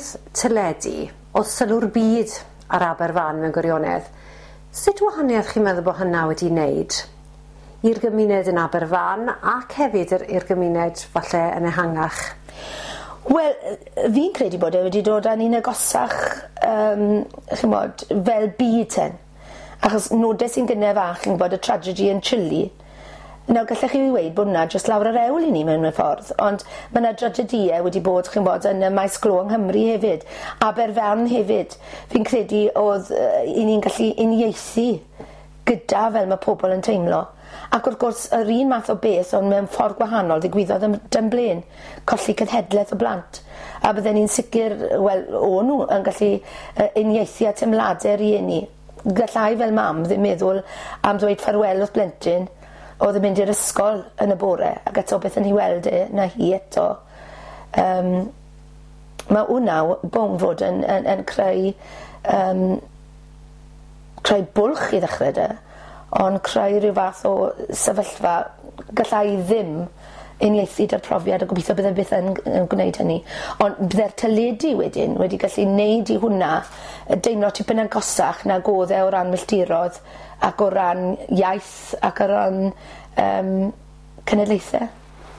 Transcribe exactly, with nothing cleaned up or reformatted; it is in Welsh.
Oherwydd teledu, oedd sylw'r byd ar Aberfan mewn gwirionedd. Sut wahaniaeth chi'n meddwl bod hynna wedi wneud i'r gymuned yn Aberfan ac hefyd i'r gymuned falle yn ehangach? Wel, fi'n credu bod e wedi dod â ni'n agosach, um, ch'mod, fel byd ten. Achos nodes i'n gynne fach, chi'n gwybod, y tragedy yn Chile. Nawr, gallech chi weud bod hwnna jyst lawr yr hewl i ni mewn ffordd, ond mae yna dragedïau wedi bod, chi'n bod, yn y maes glo yng Nghymru hefyd, Aberfan hefyd. Fi'n credu oedd uh, i ni'n gallu uniaethu gyda fel mae pobl yn teimlo. Ac wrth gwrs, yr un math o beth, ond mewn ffordd gwahanol, ddigwyddodd yn Dunblane, colli cenhedlaeth o blant. A bydden ni'n sicr, wel, o'n nhw yn gallu uh, uniaethu a teimladau rieni. Gallai fel mam ddim meddwl am ddweud ffarwel wrth blentyn oedd yn mynd i'r ysgol yn y bore, ac eto beth yn ei weld e, na hi eto. Um, mae hwnna bron fod yn, yn, yn creu, um, creu bwlch i ddechrau de, ond creu rhyw fath o sefyllfa gallai ddim uniaethu 'da'r profiad, a gobeithio bydde byth yn, yn gwneud hynny. Ond bydde'r teledu wedyn wedi gallu neud i hwnna deimlo tipyn agosach nag oedd e o ran milltirodd ac o ran iaith ac o ran um, cenedlaethau.